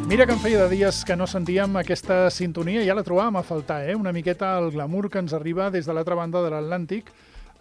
Mira que em feia de dies que no sentíem aquesta sintonia, ja la trobàvem a faltar, una miqueta el glamour que ens arriba des de l'altra banda de l'Atlàntic.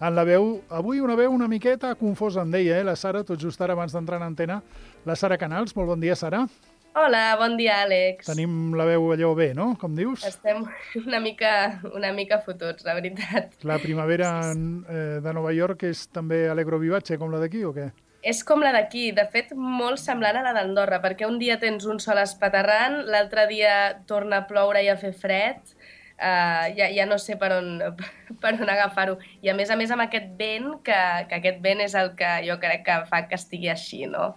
En la veu, avui una veu una miqueta confosa, em deia, la Sara, tot just ara abans d'entrar en antena. La Sara Canals, molt bon dia, Sara. Hola, bon dia, Àlex. Tenim la veu allò bé, no?, com dius? Estem una mica fotuts, la veritat. La primavera de Nova York és també Alegro Vivace, com la d'aquí, o què? És com la d'aquí, de fet, molt semblant a la d'Andorra, perquè un dia tens un sol espaterrant, l'altre dia torna a ploure i a fer fred, ja no sé per on, per on agafar-ho. I a més amb aquest vent, que aquest vent és el que jo crec que fa que estigui així, no?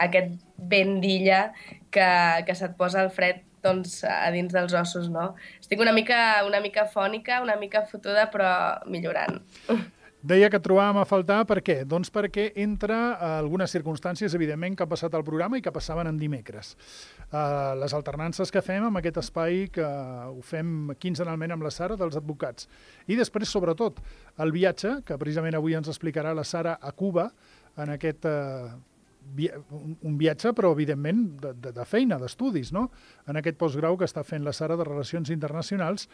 Aquest vent d'illa que se't posa el fred doncs, a dins dels ossos, no? Estic una mica fònica, una mica fotuda, però millorant. Deia que et trobàvem a faltar, per què? Doncs perquè entra algunes circumstàncies, evidentment, que han passat al programa i que passaven en dimecres. Les alternances que fem amb aquest espai, que ho fem quinzenalment amb la Sara, dels advocats. I després, sobretot, el viatge, que precisament avui ens explicarà la Sara a Cuba, en aquest un viatge, però evidentment de feina, d'estudis, no? En aquest postgrau que està fent la Sara de Relacions Internacionals.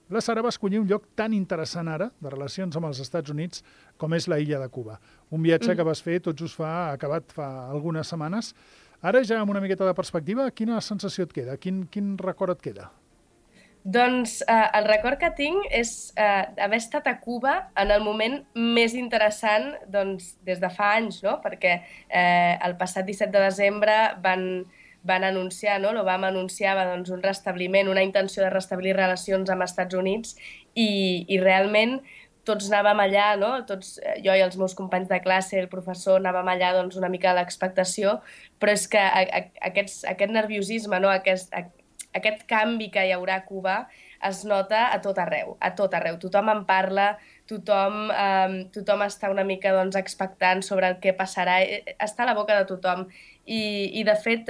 La Sara va escollir un lloc tan interessant ara, de relacions amb els Estats Units, com és la illa de Cuba. Un viatge que vas fer tot just acabat fa algunes setmanes. Ara ja amb una miqueta de perspectiva, quina sensació et queda? Quin record et queda? Doncs el record que tinc és haver estat a Cuba en el moment més interessant doncs, des de fa anys, no? Perquè el passat 17 de desembre van anunciar, no? L'Obama anunciava doncs, un restabliment, una intenció de restablir relacions amb els Estats Units i realment tots anàvem allà, no? Tots, jo i els meus companys de classe, el professor, anàvem allà doncs, una mica a l'expectació, però és que aquest nerviosisme, no? Aquest canvi que hi haurà a Cuba es nota a tot arreu, a tot arreu. Tothom en parla, tothom està una mica doncs, expectant sobre el que passarà, està a la boca de tothom. I de fet,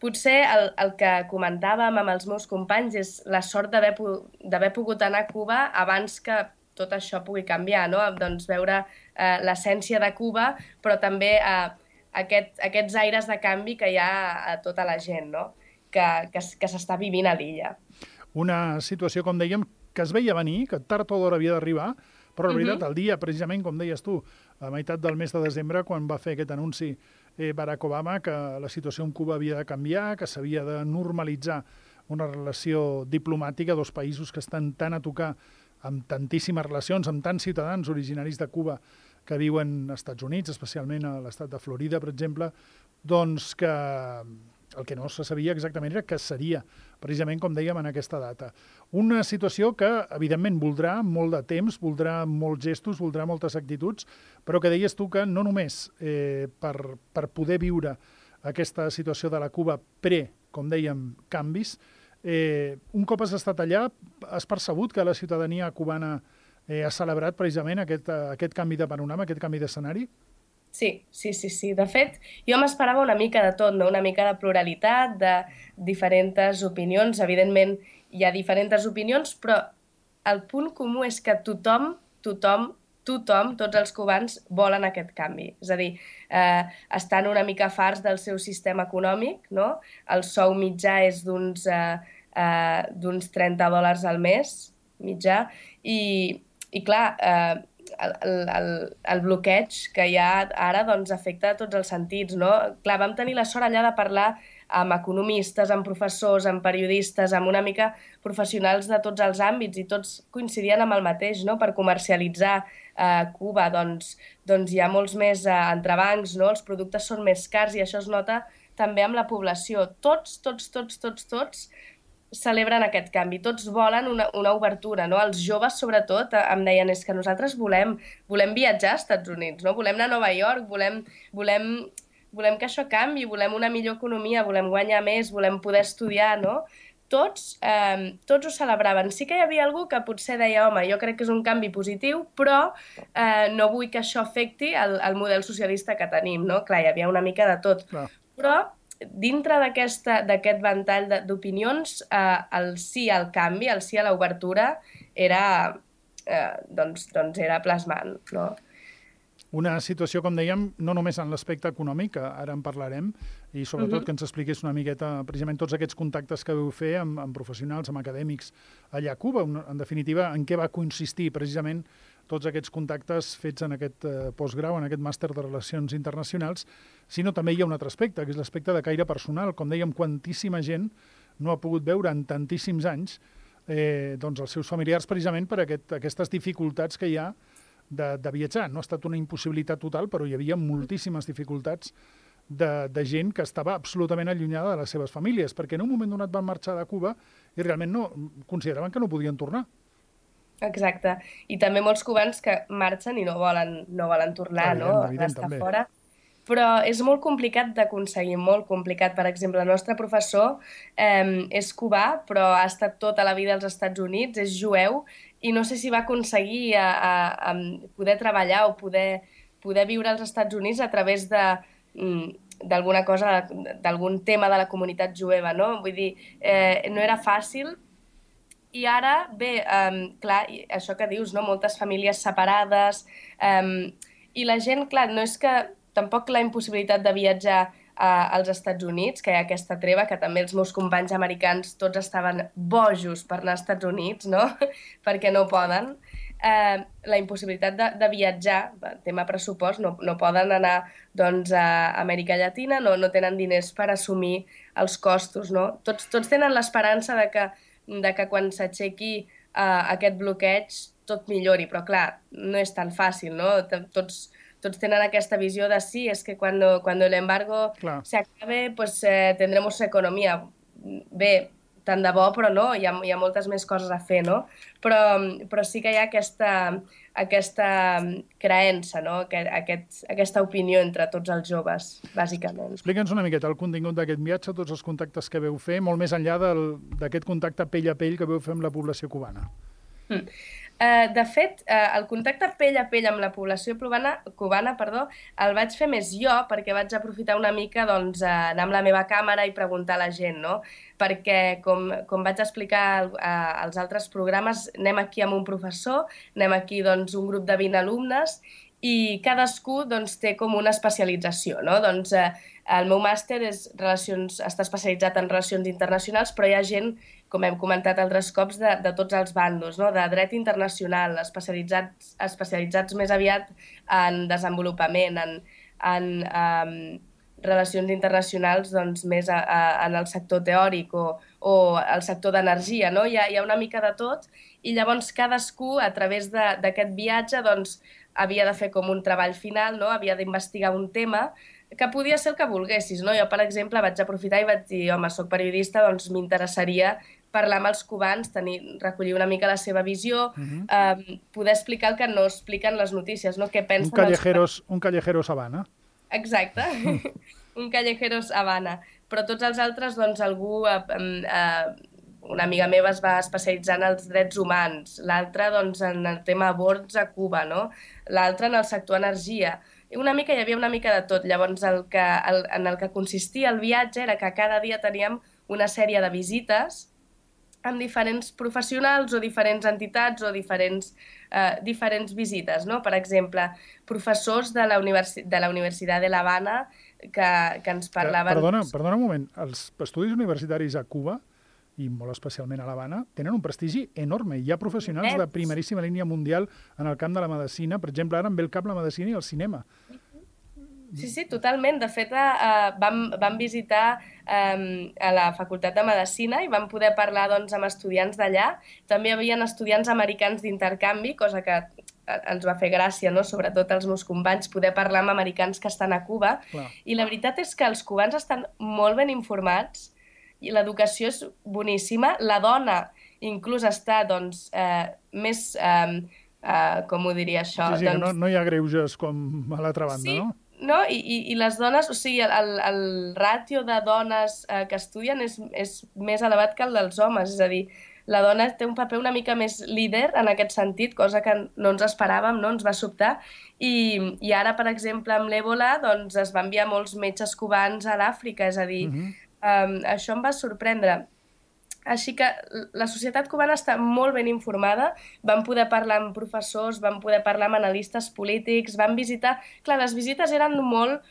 potser el que comentàvem amb els meus companys és la sort d'haver pogut anar a Cuba abans que tot això pugui canviar, no? Doncs veure l'essència de Cuba, però també aquests aires de canvi que hi ha a tota la gent, no? Que s'està vivint a l'illa. Una situació, com dèiem, que es veia venir, que tard o d'hora havia d'arribar, però la veritat, el dia, precisament, com deies tu, a meitat del mes de desembre, quan va fer aquest anunci Barack Obama, que la situació en Cuba havia de canviar, que s'havia de normalitzar una relació diplomàtica, dos països que estan tan a tocar amb tantíssimes relacions, amb tants ciutadans originaris de Cuba que viuen als Estats Units, especialment a l'estat de Florida, per exemple, doncs que el que no se sabia exactament era que seria, precisament com dèiem, en aquesta data. Una situació que, evidentment, voldrà molt de temps, voldrà molts gestos, voldrà moltes actituds, però que deies tu que no només per poder viure aquesta situació de la Cuba com dèiem, canvis, un cop has estat allà, has percebut que la ciutadania cubana ha celebrat precisament aquest canvi de panorama, aquest canvi d'escenari? Sí. De fet, jo m'esperava una mica de tot, no? Una mica de pluralitat, de diferents opinions. Evidentment, hi ha diferents opinions, però el punt comú és que tothom, tots els cubans volen aquest canvi. És a dir, estan una mica farts del seu sistema econòmic, no? El sou mitjà és d'uns $30 al mes, mitjà, i clar, el bloqueig que hi ha ara doncs, afecta a tots els sentits, no? Clar, vam tenir la sort allà de parlar amb economistes, amb professors, amb periodistes, amb una mica professionals de tots els àmbits i tots coincidien amb el mateix, no? Per comercialitzar Cuba, doncs hi ha molts més entrebancs, no? Els productes són més cars i això es nota també amb la població. Tots celebren aquest canvi, tots volen una obertura, no? Els joves, sobretot, em deien, és que nosaltres volem viatjar als Estats Units, no? Volem anar a Nova York, volem que això canvi, volem una millor economia, volem guanyar més, volem poder estudiar, no? Tots ho celebraven. Sí que hi havia algú que potser deia, home, jo crec que és un canvi positiu, però no vull que això afecti el model socialista que tenim, no? Clar, hi havia una mica de tot. Clar. Però dintre d'aquest ventall d'opinions, el sí al canvi, el sí a l'obertura, era plasmant, no? Una situació, com dèiem, no només en l'aspecte econòmic, que ara en parlarem, i sobretot que ens expliqués una miqueta precisament tots aquests contactes que vau fer amb professionals, amb acadèmics allà a Cuba. En definitiva, en què va consistir precisament tots aquests contactes fets en aquest postgrau, en aquest màster de Relacions Internacionals, sinó també hi ha un altre aspecte, que és l'aspecte de caire personal. Com dèiem, quantíssima gent no ha pogut veure en tantíssims anys doncs els seus familiars precisament per aquestes dificultats que hi ha de viatjar. No ha estat una impossibilitat total, però hi havia moltíssimes dificultats de gent que estava absolutament allunyada de les seves famílies, perquè en un moment donat van marxar de Cuba i realment consideraven que no podien tornar. Exacte. I també molts cubans que marxen i no volen tornar, evident, estar també. fora. Però és molt complicat d'aconseguir, molt complicat. Per exemple, el nostre professor és cubà, però ha estat tota la vida als Estats Units, és jueu, i no sé si va aconseguir a poder treballar o poder viure als Estats Units a través d'alguna cosa, d'algun tema de la comunitat jueva, no? Vull dir, no era fàcil. I ara, bé, clar, això que dius, no? Moltes famílies separades, i la gent, clar, no és que tampoc la impossibilitat de viatjar als Estats Units, que hi ha aquesta treva, que també els meus companys americans tots estaven bojos per anar als Estats Units, no? Perquè no poden. La impossibilitat de viatjar, tema pressupost, no poden anar doncs, a Amèrica Llatina, no tenen diners per assumir els costos, no? Tots tenen l'esperança de que quan s'aixequi aquest bloqueig tot millori, però clar, no és tan fàcil, no? Tots tenen aquesta visió de sí, és que cuando el embargo se acabe, pues tendremos economía. Bé, tant de bo, però no, hi ha moltes més coses a fer, no? Però sí que hi ha aquesta creença, no? Aquesta opinió entre tots els joves, bàsicament. Explica'ns una miqueta el contingut d'aquest viatge, tots els contactes que veu fer, molt més enllà d'aquest contacte pell a pell que veu fer amb la població cubana. De fet, el contacte pell a pell amb la població cubana, el vaig fer més jo, perquè vaig aprofitar una mica anar amb la meva càmera i preguntar a la gent, no? Perquè, com vaig explicar als altres programes, anem aquí amb un professor, anem aquí un grup de 20 alumnes, i cadascú té com una especialització, no? El meu màster està especialitzat en relacions internacionals, però hi ha gent, com hem comentat altres cops, de tots els bandos, no? De dret internacional, especialitzats més aviat en desenvolupament, en relacions internacionals més en el sector teòric o el sector d'energia, no? Hi ha una mica de tot, i llavors cadascú, a través d'aquest viatge, havia de fer com un treball final, no? Havia d'investigar un tema que podia ser el que volguessis, no? Jo, per exemple, vaig aprofitar i vaig dir, home, soc periodista, m'interessaria parlar amb els cubans, recollir una mica la seva visió, poder explicar el que no expliquen les notícies, no? Què pensen un callejeros Habana. Exacte, un callejeros Habana. Però tots els altres, algú... Una amiga meva es va especialitzar en els drets humans, l'altra en el tema aborts a Cuba, no? L'altra en el sector energia. Hi havia una mica de tot. Llavors, en el que consistia el viatge era que cada dia teníem una sèrie de visites amb diferents professionals o diferents entitats o diferents visites, no? Per exemple, professors de la Universitat de l'Havana que ens parlaven... Perdona un moment. Els estudis universitaris a Cuba, i molt especialment a l'Havana, tenen un prestigi enorme. Hi ha professionals de primeríssima línia mundial en el camp de la medicina. Per exemple, ara em ve el cap la medicina i el cinema. Sí, totalment. De fet, vam visitar a la Facultat de Medicina i vam poder parlar amb estudiants d'allà. També hi havia estudiants americans d'intercanvi, cosa que ens va fer gràcia, no? Sobretot als meus companys, poder parlar amb americans que estan a Cuba. Clar. I la veritat és que els cubans estan molt ben informats i l'educació és boníssima. La dona inclús està més... com ho diria això? Sí, que no hi ha greuges com a l'altra banda, sí, no? No? I les dones, o sigui, el ràtio de dones que estudien és més elevat que el dels homes, és a dir, la dona té un paper una mica més líder en aquest sentit, cosa que no ens esperàvem, no? Ens va sobtar, i ara, per exemple, amb l'Ebola, es van enviar molts metges cubans a l'Àfrica, és a dir, això em va sorprendre. Així que la societat cubana està molt ben informada, vam poder parlar amb professors, vam poder parlar amb analistes polítics, vam visitar... Clar, les visites eren molt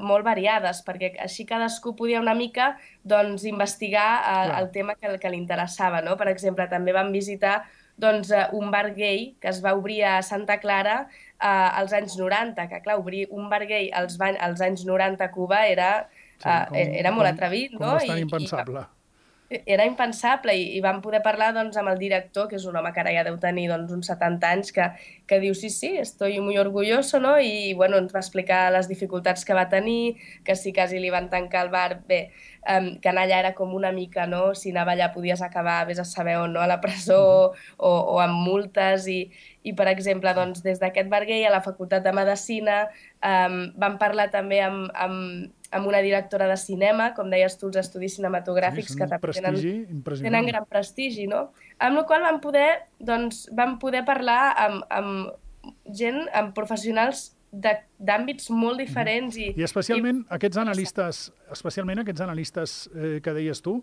molt variades, perquè així cadascú podia una mica doncs, investigar el tema que li interessava, no? Per exemple, també vam visitar doncs, un bar gay que es va obrir a Santa Clara als anys 90, que clar, obrir un bar gay als anys 90 a Cuba era molt atrevit, no? Com bastant impensable. Era impensable i vam poder parlar doncs, amb el director, que és un home que ara ja deu tenir doncs, uns 70 anys, que diu sí, estoy muy orgulloso, no? I bueno, ens va explicar les dificultats que va tenir, que si quasi li van tancar el bar, bé, que anar allà era com una mica, no? Si anava allà podies acabar, vés a saber on, no? A la presó o amb multes i per exemple, doncs, des d'aquest bar gay a la Facultat de Medicina vam parlar també amb una directora de cinema, com deies tu, els estudis cinematogràfics que tenen gran prestigi, no? Amb la qual vam poder parlar amb gent, amb professionals d'àmbits molt diferents. I especialment aquests analistes que deies tu,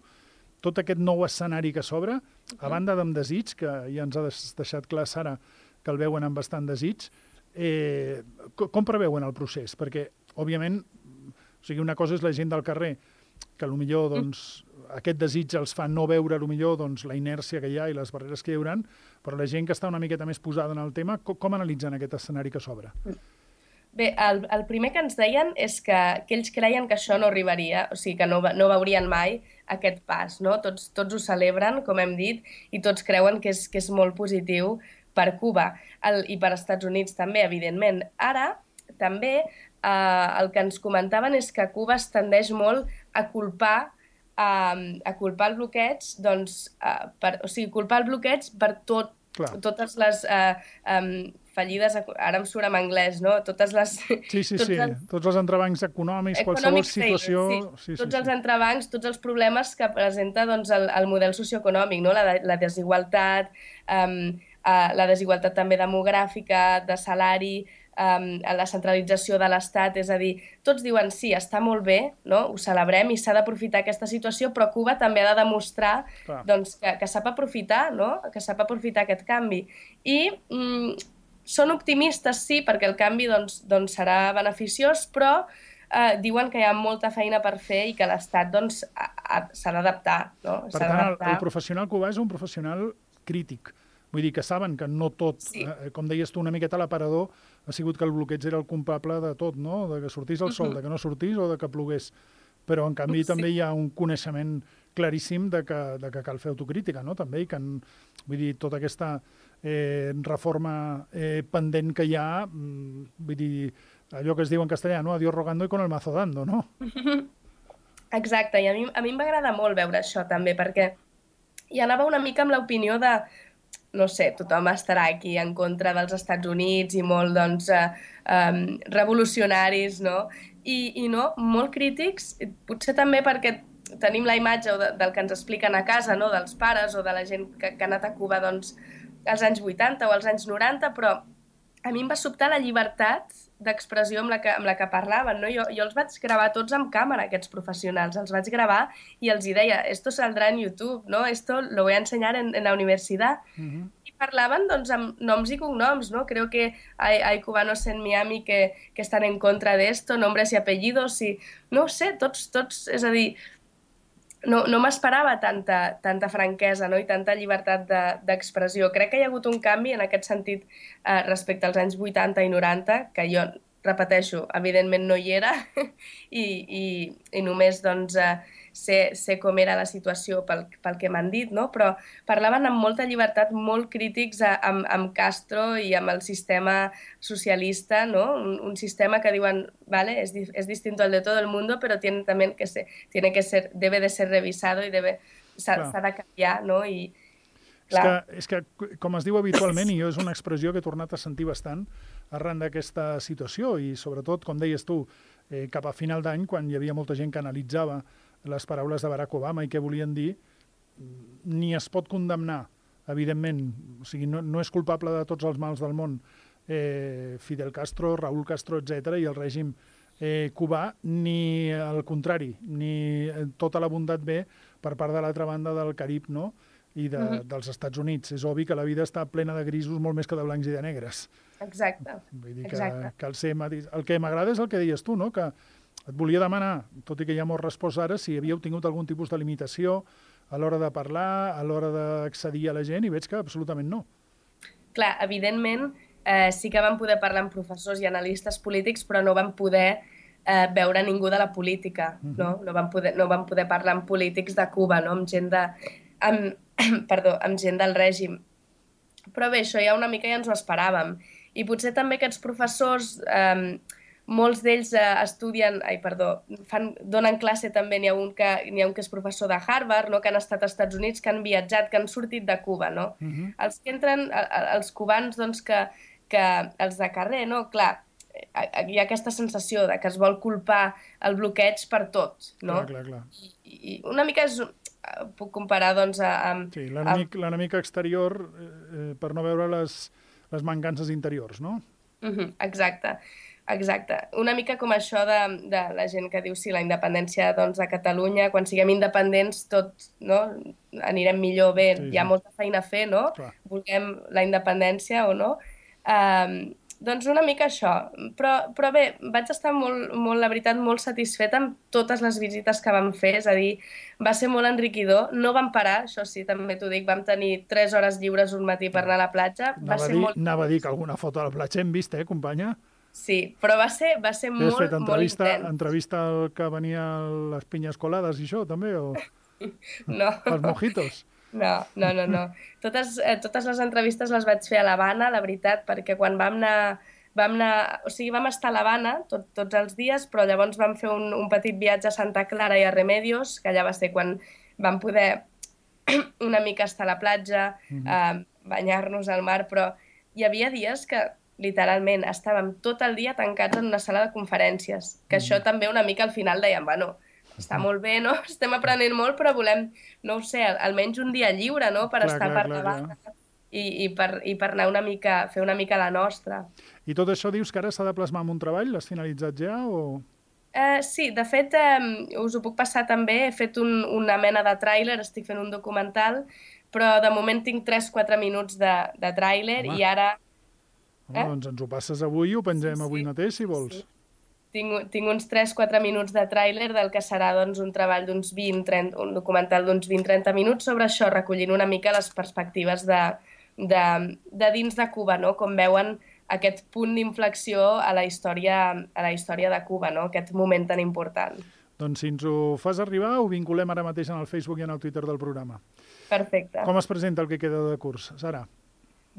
tot aquest nou escenari que s'obre, a banda d'Amb Desig, que ja ens ha deixat clar Sara que el veuen amb bastant desig, com preveuen el procés? Perquè, òbviament, o sigui, una cosa és la gent del carrer, que potser doncs, aquest desig els fa no veure potser doncs, la inèrcia que hi ha i les barreres que hi haurà, però la gent que està una miqueta més posada en el tema, com analitzen aquest escenari que s'obre? Bé, el primer que ens deien és que ells creien que això no arribaria, o sigui, que no veurien mai aquest pas, no? Tots ho celebren, com hem dit, i tots creuen que és molt positiu per Cuba i per Estats Units també, evidentment. Ara, també, el que ens comentaven és que Cuba es tendeix molt a culpar el bloqueig, doncs, o sigui, culpar el bloqueig per totes les fallides, ara em surt en anglès, no? Totes les... Sí, tots els entrebancs econòmics, qualsevol situació... Tots els entrebancs, tots els problemes que presenta doncs, el model socioeconòmic, no? La desigualtat, la desigualtat també demogràfica, de salari, la centralització de l'Estat, és a dir, tots diuen sí, està molt bé, no? Ho celebrem i s'ha d'aprofitar aquesta situació, però Cuba també ha de demostrar doncs, que sap aprofitar, no? Que sap aprofitar aquest canvi. I són optimistes, sí, perquè el canvi doncs, serà beneficiós, però diuen que hi ha molta feina per fer i que l'Estat doncs, s'ha d'adaptar. No? Per tant, el professional cubà és un professional crític. Vull dir que saben que no tot, com deies tu, una miqueta a l'aparador, ha sigut que el bloqueig era el culpable de tot, no? De que sortís el sol, de que no sortís o de que plogués. Però, en canvi, també hi ha un coneixement claríssim de que cal fer autocrítica, no? També, i que, vull dir, tota aquesta reforma pendent que hi ha, vull dir, allò que es diu en castellà, no? Adiós rogando y con el mazo dando, no? Exacte, i a mi m'agrada molt veure això, també, perquè hi anava una mica amb l'opinió de no sé, tothom estarà aquí en contra dels Estats Units i molt, doncs, revolucionaris, no? I no, molt crítics, potser també perquè tenim la imatge del que ens expliquen a casa, no? Dels pares o de la gent que ha anat a Cuba, doncs, als anys 80 o als anys 90, però a mi em va sobtar la llibertat d'expressió amb la que parlaven, no? Jo els vaig gravar tots amb càmera, aquests professionals, els vaig gravar i els deia, esto saldrá en YouTube, ¿no? Esto lo voy a enseñar en la universidad. I parlaven, doncs, amb noms i cognoms, ¿no? Creo que hay cubanos en Miami que están en contra de esto, nombres y apellidos, i no ho sé, tots, és a dir, no m'esperava tanta franquesa, no? I tanta llibertat d'expressió. Crec que hi ha hagut un canvi en aquest sentit respecte als anys 80 i 90, que jo, repeteixo, evidentment no hi era i només doncs, sé com era la situació pel que m'han dit, no? Però parlaven amb molta llibertat, molt crítics amb Castro i amb el sistema socialista, no? Un sistema que diuen, vale, es distinto al de todo el mundo, pero debe de ser revisado y s'ha de canviar, no? I, és que, com es diu habitualment, i jo és una expressió que he tornat a sentir bastant arran d'aquesta situació, i sobretot, com deies tu, cap a final d'any, quan hi havia molta gent que analitzava les paraules de Barack Obama i què volien dir, ni es pot condemnar, evidentment, o sigui, no és culpable de tots els mals del món Fidel Castro, Raúl Castro, etc., i el règim cubà, ni al contrari, ni tota la bondat ve per part de l'altra banda del Carib, no? i dels Estats Units. És obvi que la vida està plena de grisos molt més que de blancs i de negres. Exacte. Vull dir que el que m'agrada és el que deies tu, no? Que et volia demanar, tot i que ja m'ho has respost ara, si havíeu tingut algun tipus de limitació a l'hora de parlar, a l'hora d'accedir a la gent, i veig que absolutament no. Clar, evidentment, sí que vam poder parlar amb professors i analistes polítics, però no vam poder veure ningú de la política, no? No vam poder parlar amb polítics de Cuba, no? Amb gent del règim. Però bé, això ja una mica ja ens ho esperàvem. I potser també aquests professors, molts d'ells donen classe també, n'hi ha un que és professor de Harvard, no? Que han estat als Estats Units, que han viatjat, que han sortit de Cuba, no? Els que entren, els cubans, doncs, que els de carrer, no? Clar, hi ha aquesta sensació de que es vol culpar el bloqueig per tot, no? Clar. I una mica puc comparar, doncs, amb... Sí, l'enemic exterior per no veure les mancances interiors, no? Exacte. Una mica com això de la gent que diu sí, la independència de Catalunya, quan siguem independents tots, no? Anirem millor, bé, hi ha molta feina a fer, no? Vulguem la independència o no. Doncs una mica això, però bé, vaig estar molt, la veritat, molt satisfeta amb totes les visites que vam fer, és a dir, va ser molt enriquidor, no vam parar, això sí, també t'ho dic, vam tenir 3 hores lliures un matí per anar a la platja. Anava a dir que alguna foto a la platja hem vist, companya? Sí, però va ser molt intens. Entrevista al que venia a les pinyes colades i això, també, o...? No. Els mojitos? No. Totes les entrevistes les vaig fer a l'Havana, la veritat, perquè quan vam estar a l'Havana tots els dies, però llavors vam fer un petit viatge a Santa Clara i a Remedios, que allà va ser quan vam poder una mica estar a la platja, banyar-nos al mar, però hi havia dies que literalment estàvem tot el dia tancats en una sala de conferències, que això també una mica al final dèiem, bueno, està molt bé, no? Estem aprenent molt, però volem, no ho sé, almenys un dia lliure, no? Per estar per davant i per anar fer una mica la nostra. I tot això dius que ara s'ha de plasmar en un treball? L'has finalitzat ja o...? Sí, de fet, us ho puc passar també. He fet una mena de tràiler, estic fent un documental, però de moment tinc 3-4 minuts de tràiler i ara... Doncs ens ho passes avui i ho pengem avui mateix, si vols. Sí. Tinc uns 3-4 minuts de tràiler del que serà doncs, un treball d'uns 20-30, un documental d'uns 20-30 minuts sobre això, recollint una mica les perspectives de dins de Cuba, no? Com veuen aquest punt d'inflexió a la història de Cuba, no? Aquest moment tan important. Doncs si ens ho fas arribar, ho vinculem ara mateix en el Facebook i en el Twitter del programa. Perfecte. Com es presenta el que queda de curs, Sara?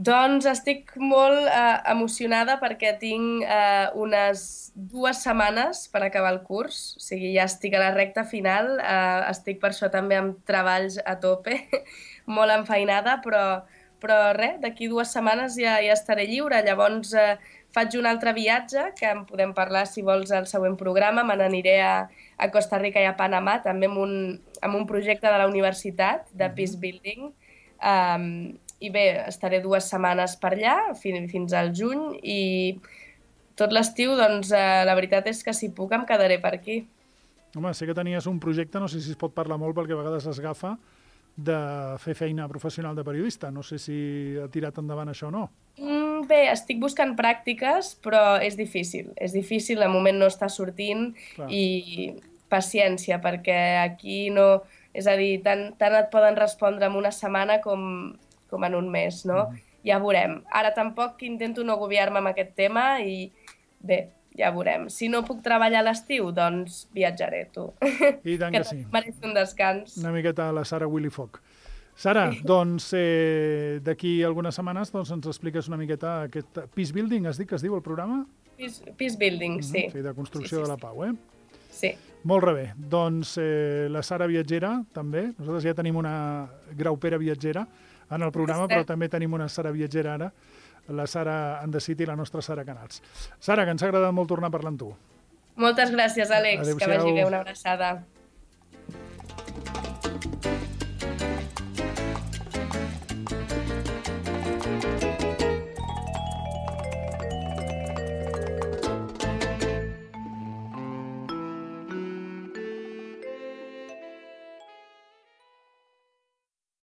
Doncs estic molt emocionada perquè tinc unes 2 setmanes per acabar el curs, o sigui, ja estic a la recta final, estic per això també amb treballs a tope, molt enfeinada, però res, d'aquí 2 setmanes ja estaré lliure, llavors faig un altre viatge, que en podem parlar si vols al següent programa, me n'aniré a Costa Rica i a Panamà, també amb un projecte de la universitat, de Peace Building, i bé, estaré 2 setmanes per allà, fins al juny, i tot l'estiu, doncs, la veritat és que si puc em quedaré per aquí. Home, sé que tenies un projecte, no sé si es pot parlar molt perquè a vegades es agafa, de fer feina professional de periodista. No sé si ha tirat endavant això o no. Bé, estic buscant pràctiques, però és difícil. És difícil, de moment no està sortint. Clar. I paciència, perquè aquí no... És a dir, tant et poden respondre en una setmana com en un mes, no? Ja veurem. Ara tampoc intento no agobiar-me amb aquest tema i bé, ja veurem. Si no puc treballar a l'estiu, doncs viatjaré, tu. I tant que sí. Mereix un descans. Una miqueta a la Sara Willy Foc. Sara, doncs d'aquí algunes setmanes ens expliques una miqueta aquest Peace Building, has dit que es diu el programa? Peace Building, sí. Sí, de construcció de la pau, Sí. Molt bé. Doncs la Sara viatgera, també. Nosaltres ja tenim una graupera viatgera en el programa, però també tenim una Sara viatgera ara, la Sara And The City, la nostra Sara Canals. Sara, que ens ha agradat molt tornar a parlar amb tu. Moltes gràcies, Àlex. Adéu-siau. Que vagi bé, una abraçada.